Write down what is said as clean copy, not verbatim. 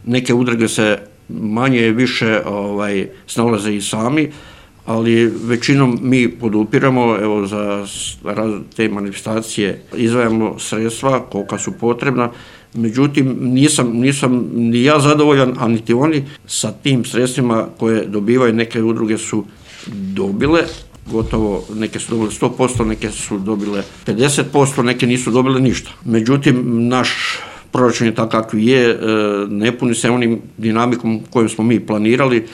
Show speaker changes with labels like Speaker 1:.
Speaker 1: Neke udruge se manje više snalaze i sami, ali većinom mi podupiramo, evo za te manifestacije izdvajamo sredstva kolika su potrebna, međutim nisam ni ja zadovoljan, a niti oni sa tim sredstvima koje dobivaju. Neke udruge su dobile, gotovo neke su dobile 100%, neke su dobile 50%, neke nisu dobile ništa. Međutim, naš proračun je takav kakvi je, ne puni se onim dinamikom kojom smo mi planirali.